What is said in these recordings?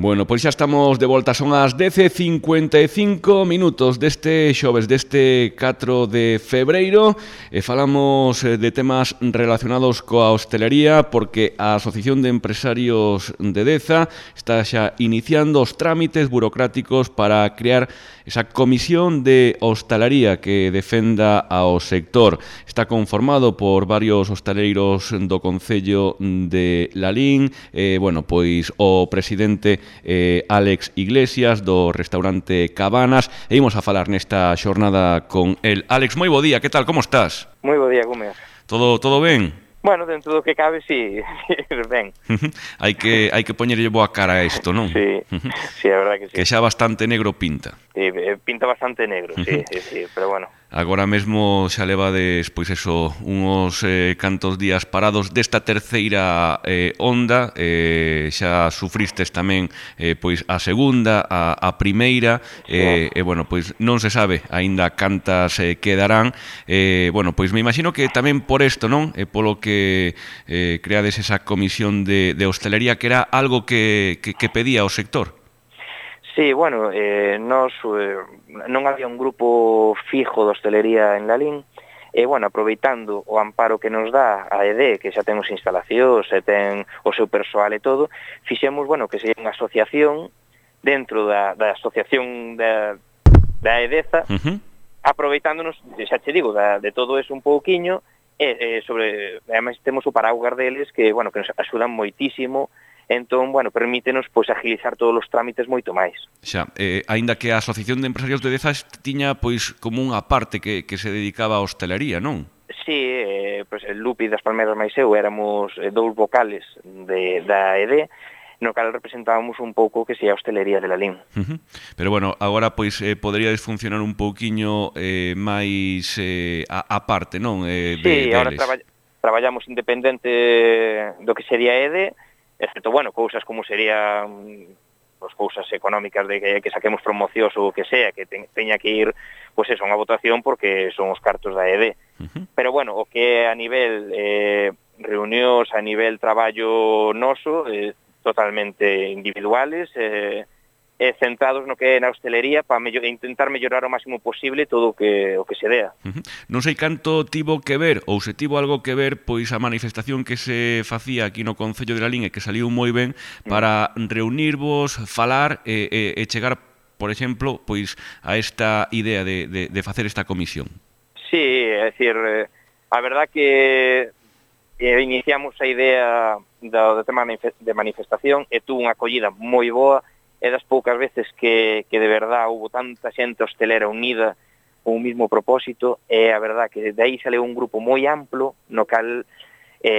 Bueno, pois xa estamos de volta, son as 10:55 deste xoves, deste 4 de febreiro, e falamos de temas relacionados coa hostelería, porque a Asociación de Empresarios de Deza está xa iniciando os trámites burocráticos para crear esa comisión de hostalaría que defenda ao sector. Está conformado por varios hostaleiros do Concello de Lalín, bueno, pois o presidente Álex Iglesias do restaurante Cabanas, e imos a falar nesta xornada con el. Álex, moi bo día, que tal, como estás? Moi bo día, Gómez. Todo ben? Bueno, dentro do que cabe, sí, ben. Hai que poñerlle boa cara a isto, non? Sí, sí, a verdade que sí. Que xa bastante negro pinta. Sí, pinta bastante negro, sí, sí, pero bueno. Agora mesmo xa levades, pois eso, uns cantos días parados desta terceira onda, xa sufristes tamén pois a segunda, a primeira, e bueno, pois non se sabe aínda cantas quedarán, bueno, pois me imagino que tamén por isto, non? Polo que creades esa comisión de hostelería, que era algo que pedía o sector. Sí, bueno, nos non había un grupo fijo de hostelería en Lalín, e, bueno, aproveitando o amparo que nos dá a ED, que xa ten os instalacións, e ten o seu persoal e todo, fixemos, bueno, que sería unha asociación dentro da asociación da EDEZA, aproveitándonos, xa che digo, de todo eso un pouquiño, e sobre, además temos o paraugas deles que, bueno, que nos axudan moitísimo. Entón, bueno, permítenos pois agilizar todos os trámites moito máis. Xa, aínda que a Asociación de Empresarios de Deza tiña pois como unha parte que se dedicaba á hostelería, non? Sí, pois el Lupi das Palmeras máis eu éramos dous vocales da ED, no cal representábamos un pouco que sea a hostelería de Lalín. Pero bueno, agora pois poderíades funcionar un pouquiño máis a parte, non? Sí, agora traballamos independente do que sería ED, excepto, bueno, cousas como serían pues, cousas económicas de que saquemos promocións ou o que sea, que teña que ir, pues eso, unha votación porque son os cartos da ED. Pero, bueno, o que a nivel reunións, a nivel traballo noso, totalmente individuales, centrados no que é na hostelería para intentar mellorar o máximo posible todo o que se dea. Non sei canto tivo que ver, ou se tivo algo que ver, pois a manifestación que se facía aquí no Concello de Lalín e que saliu moi ben para reunirvos, falar e chegar, por exemplo, pois a esta idea de facer esta comisión. Sí, é dicir, a verdad que iniciamos a idea do tema de manifestación e tuvo unha acollida moi boa. É das poucas veces que de verdad houve tanta xente hostelera unida con un mismo propósito, e a verdad que de aí sale un grupo moi amplo no cal,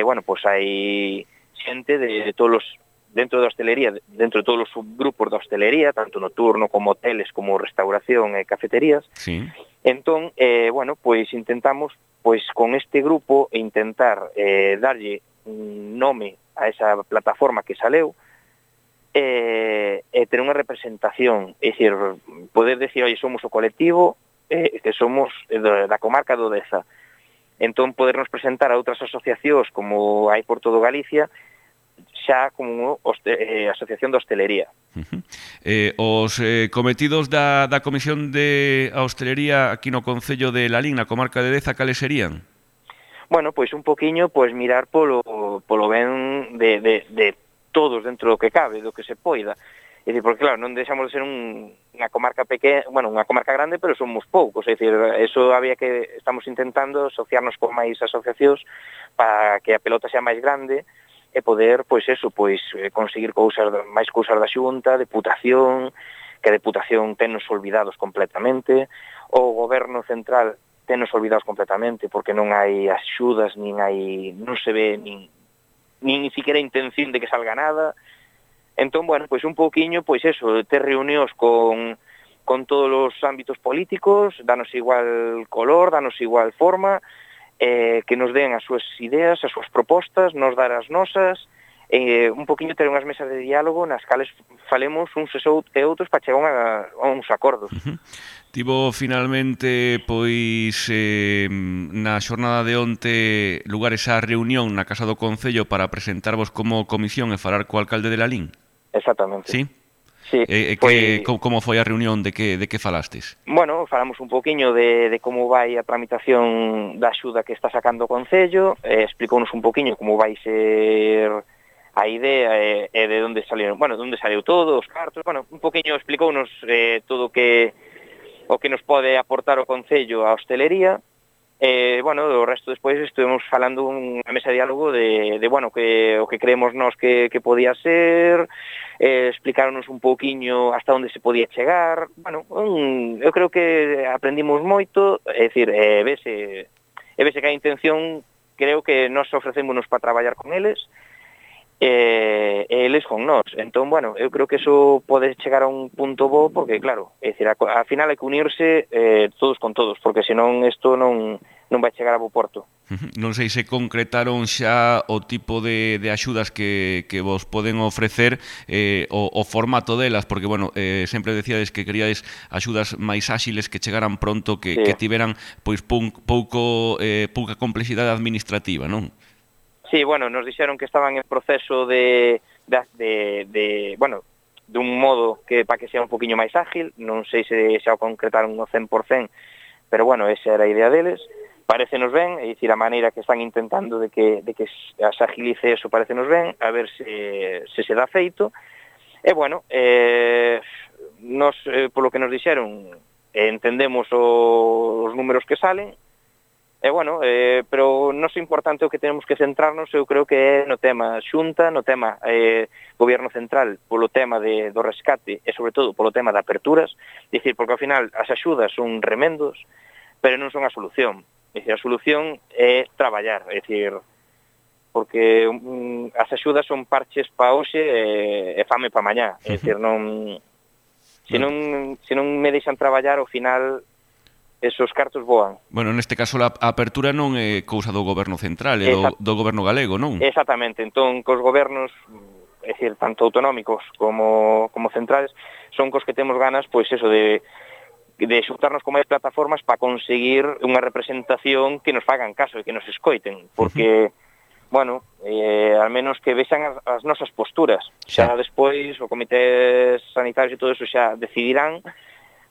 bueno, pois hai xente de todos os, dentro da hostelería, dentro de todos os subgrupos da hostelería, tanto nocturno como hoteles, como restauración e cafeterías. Sí. Entón, bueno, pois intentamos, pois con este grupo, intentar darlle un nome a esa plataforma que saleu, e ter unha representación, é dicir, poder decir, oi, somos o colectivo que somos da comarca do Deza. Entón, podernos presentar a outras asociacións como hai por todo Galicia, xa como asociación de hostelería. Os cometidos da Comisión de Hostelería aquí no Concello de Lalín, na comarca de Deza, cales serían? Bueno, pois un poquiño, pois mirar polo ben de todos dentro do que cabe, do que se poida. É dicir, porque claro, non deixamos de ser unha comarca pequena, bueno, unha comarca grande, pero somos poucos, é dicir, eso había que, estamos intentando asociarnos con máis asociacións para que a pelota sea máis grande e poder, pois eso, pois conseguir máis cousas da Xunta, deputación, que a deputación tennos olvidados completamente, o goberno central tennos olvidados completamente, porque non hai axudas, non se ve nin siquiera intención de que salga nada. Entón, bueno, pois un pouquiño, pois eso, ter reunións con todos os ámbitos políticos, danos igual color, danos igual forma, que nos den as súas ideas, as súas propostas, nos dar as nosas, un poquinho ter unhas mesas de diálogo nas cales falemos uns e outros para chegar a uns acordos. Tivo finalmente, pois, na xornada de onte lugar esa reunión na Casa do Concello para presentarvos como comisión e falar co alcalde de Lalín? Exactamente. Sí? Sí, como foi a reunión, de que falastes? Bueno, falamos un poquinho de como vai a tramitación da axuda que está sacando o Concello, explicounos un poquinho como vai ser a idea e de onde salieron, bueno, de onde saliu todo, os cartos, bueno, un poquinho explicounos todo o que nos pode aportar o Concello á hostelería. Bueno, o resto despois estuvemos falando unha mesa de diálogo de bueno, o que creemos nós que podía ser, explicaronos un pouquiño hasta onde se podía chegar. Bueno, eu creo que aprendimos moito, é dicir, vese que a intención, creo que nós ofrecémonos para traballar con eles, e eles con nós. Entón, bueno, eu creo que eso pode chegar a un punto bo, porque claro, é dicir, ao final hai que unirse todos con todos, porque senón isto non vai chegar a bo porto. Non sei se concretaron xa o tipo de axudas que vos poden ofrecer, o formato delas, porque, bueno, sempre decíades que queríades axudas máis áxiles, que chegaran pronto, que tiveran pois pouca complexidade administrativa, non? Sí, bueno, nos dixeron que estaban en proceso bueno, dun modo que para que sea un poquinho máis ágil, non sei se xa o concretaron no 100%, pero bueno, esa era a idea deles. Parecenos ben, é dicir, a maneira que están intentando de que se agilice eso parecenos ben, a ver se dá feito. E bueno, nos, polo que nos dixeron, entendemos os números que salen. Bueno, pero non é importante o que tenemos que centrarnos, eu creo que é no tema xunta, no tema goberno central, polo tema do rescate e sobre todo polo tema de aperturas, dicir, porque ao final as axudas son remendos, pero non son a solución. Dicir, a solución é traballar, é dicir, porque as axudas son parches pa hoxe e fame pa mañá, é dicir, se non me deixan traballar, ao final esos cartos voan. Bueno, neste caso a apertura non é cousa do goberno central, é do goberno galego, non? Exactamente, entón cos gobernos, é dicir, tanto autonómicos como centrales, son cos que temos ganas, pois eso, de xuntarnos con máis plataformas para conseguir unha representación que nos fagan caso e que nos escoiten, porque, bueno, al menos que vexan as nosas posturas. Xa despois o comité sanitario e todo eso xa decidirán,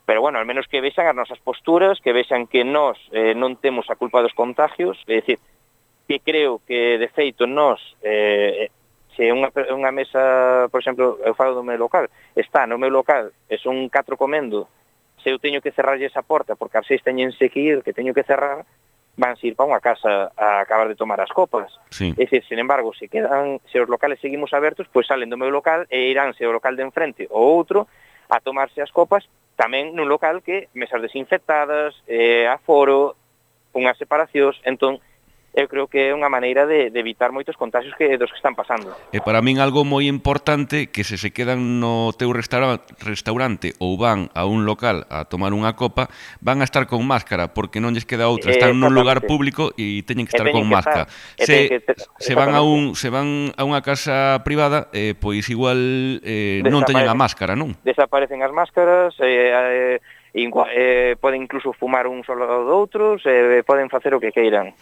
pero bueno, al menos que vexan as nosas posturas, que vexan que nós non temos a culpa dos contagios, é dicir, que creo que de feito nós, se unha mesa, por exemplo, eu falo do meu local, está no meu local e son 4 comendo, se eu teño que cerrarlle esa porta porque as 6 teñense que ir, que teño que cerrar, van ir para unha casa a acabar de tomar as copas. Sí. É dicir, sin embargo, se os locales seguimos abertos, pois salen do meu local e iránse ao local de enfrente ou outro a tomarse as copas, tamén nun local que mesas desinfectadas, aforo, unhas separacións, entón eu creo que é unha maneira de evitar moitos contagios dos que están pasando. E para min algo moi importante, que se quedan no teu restaurante ou van a un local a tomar unha copa, van a estar con máscara, porque non lles queda outra, están nun lugar público e teñen que estar con máscara. Se van a unha casa privada, pois igual non teñen a máscara, non? Desaparecen as máscaras, poden incluso fumar un solo do outros, poden facer o que queiran.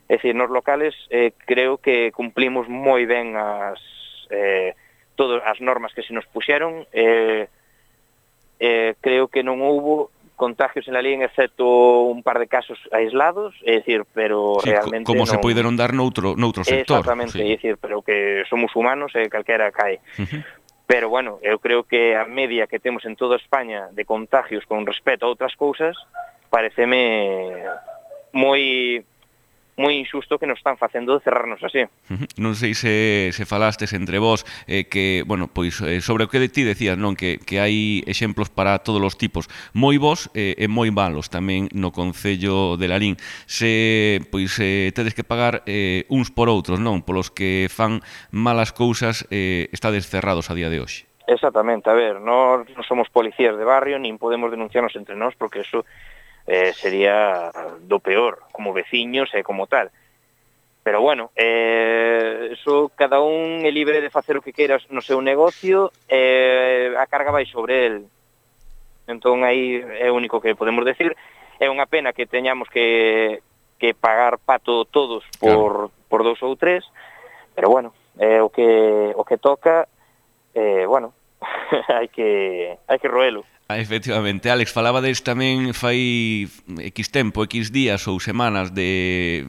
É dicir, nos locales creo que cumplimos moi ben todas as normas que se nos puxeron, creo que non houbo contagios en la línea, excepto un par de casos aislados, é dicir, pero sí, realmente como se poideron dar noutro sector. Exactamente, sí. É dicir, pero que somos humanos e calquera cae. Pero, bueno, eu creo que a media que temos en toda España de contagios con respecto a outras cousas pareceme moi injusto que nos están facendo cerrarnos así. Non sei se falastes entre vós que, bueno, pois sobre o que de ti decías, non, que hai exemplos para todos os tipos, moi bons e moi malos tamén no Concello de Lalín. Se pois tedes que pagar uns por outros, non, polos que fan malas cousas, estades cerrados a día de hoxe. Exactamente, a ver, non somos policías de barrio, nin podemos denunciarnos entre nós, porque eso sería do peor, como veciños e como tal. Pero bueno, eso cada un é libre de facer o que queiras no seu negocio, a carga vai sobre el. Entón aí é o único que podemos decir. É unha pena que teñamos que pagar pato todos por 2 ou 3, pero bueno, é o que toca, bueno, hai que roelo. Efectivamente, Alex, falabades tamén fai X tempo, X días ou semanas de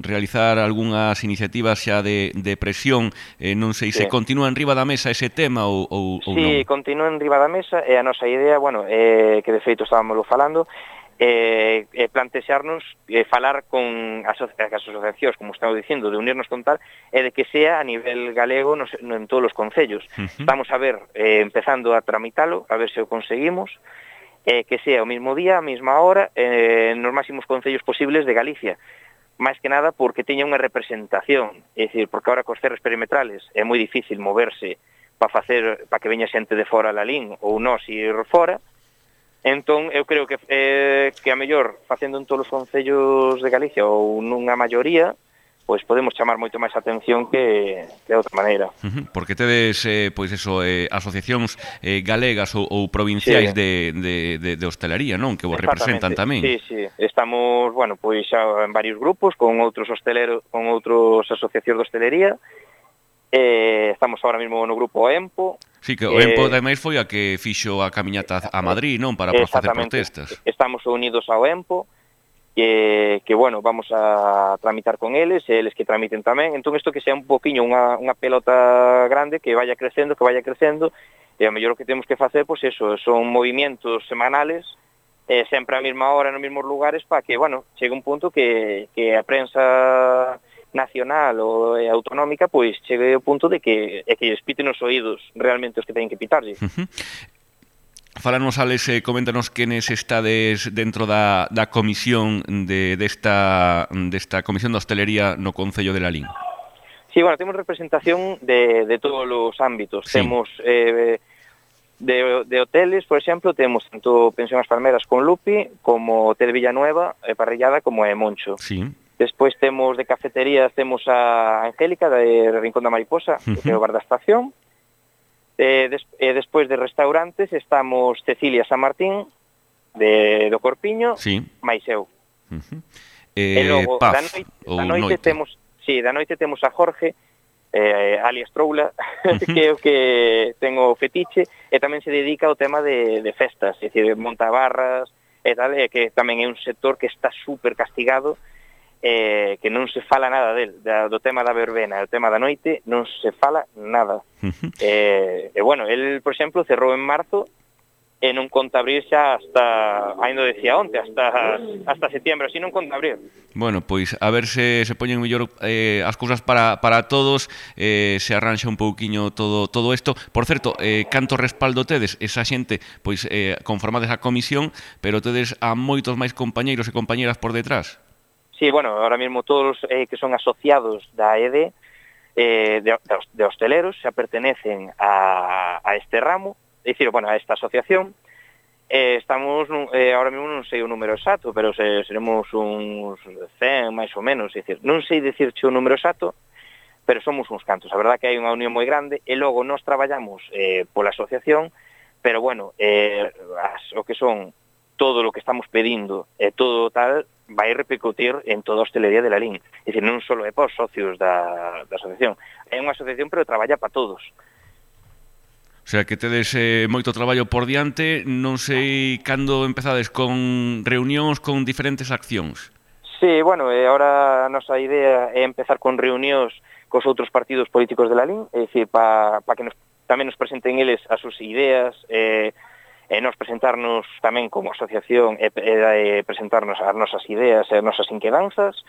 realizar algunhas iniciativas xa de presión, non sei se continúa en riba da mesa ese tema ou non. Sí, continúa en riba da mesa e a nosa idea, bueno, que de feito estábamos falando, plantexarnos falar con as asociacións, como estamos dicindo, de unirnos con tal, e de que sea a nivel galego en todos os concellos. Vamos a ver, empezando a tramitalo, a ver se o conseguimos, que sea o mismo día, a mesma hora, nos máximos concellos posibles de Galicia. Máis que nada porque teña unha representación, é dicir, porque ahora cos cerros perimetrales é moi difícil moverse para que veña xente de fora a Lalín ou nós ir fora. Entón, eu creo que a mellor, facendo en todos os concellos de Galicia ou nunha maioría, pois podemos chamar moito máis atención que de outra maneira. Porque tedes, pois eso, asociacións galegas ou provinciais de hostelería, non? Que vos representan tamén. Sí. Estamos, bueno, pois xa en varios grupos con outros hosteleros, con outros asociacións de hostelería. Estamos ahora mesmo no grupo EMPO. Sí, que o EMPO ademais foi a que fixo a camiñata a Madrid, non? Para facer protestas. Estamos unidos ao EMPO, que bueno, vamos a tramitar con eles, e eles que tramiten tamén. Entón, isto que sea un poquinho unha pelota grande, que vaya crecendo, e a mellor o que temos que facer, pois eso, son movimentos semanales, sempre a mesma hora, nos mesmos lugares, para que, bueno, chegue un punto que a prensa nacional ou autonómica, pois chegue ao punto de que lles piten os oídos realmente os que teñen que pitarlle. Fálanos, Alex, coméntanos quenes estades dentro da comisión desta comisión de hostelería no Concello de Lalín. Sí, bueno, temos representación de todos os ámbitos. Sí. Temos de hoteles, por exemplo, temos tanto Pensión As Palmeras con Lupi, como Hotel Villanueva, Parrillada, como Moncho. Sí. Despois temos de cafeterías, temos a Angélica, de Rincón da Mariposa, que é o bar da estación. Despois de restaurantes estamos Cecilia San Martín, do Corpiño, máis eu. E logo, da noite temos a Jorge, alias Troula, que é o que ten o fetiche, e tamén se dedica ao tema de festas, é dicir, monta barras, e tal, que tamén é un sector que está super castigado, que non se fala nada do tema da verbena, o tema da noite, non se fala nada. Bueno, el, por exemplo, cerrou en marzo e non conta abrir xa hasta, ainda decía onte, hasta setembro, así non conta abrir. Bueno, pois a ver se poñen mellor as cousas para todos, se arranxa un pouquiño todo isto. Por certo, canto respaldo tedes? Esa xente, pois, conformades a comisión, pero tedes a moitos máis compañeiros e compañeras por detrás? Sí, bueno, ahora mesmo todos que son asociados da EDE, de hosteleros, xa pertenecen a este ramo, é dicir, bueno, a esta asociación. Estamos, ahora mesmo non sei o número exacto, pero seremos uns 100 máis ou menos, é dicir, non sei dicirche o número exacto, pero somos uns cantos. A verdad que hai unha unión moi grande, e logo nós traballamos pola asociación, pero bueno, o que son todo o que estamos pedindo e todo tal, vai repercutir en toda a hostelería de Lalín. É dicir, non só é para os socios da asociación. É unha asociación, pero traballa para todos. O sea, que tedes moito traballo por diante. Non sei cando empezades con reunións, con diferentes accións. Sí, bueno, ahora a nosa idea é empezar con reunións cos outros partidos políticos de Lalín, é dicir, para que tamén nos presenten eles as súas ideas, e nos presentarnos tamén como asociación e presentarnos as nosas ideas e as nosas inquedanzas,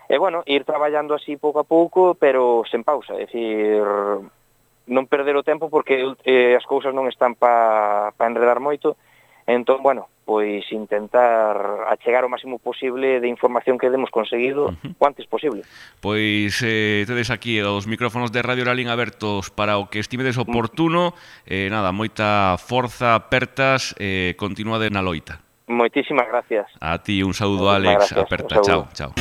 e bueno, ir traballando así pouco a pouco, pero sen pausa, é dicir, non perder o tempo porque as cousas non están para enredar moito. Entón, bueno, pois intentar achegar o máximo posible de información que demos conseguido o antes posible. Pois tedes aquí os micrófonos de Radio Lalín abertos para o que estimedes oportuno. Nada, moita forza, apertas, continúade na loita. Moitísimas gracias. A ti un saúdo, Alex, aperta, chao.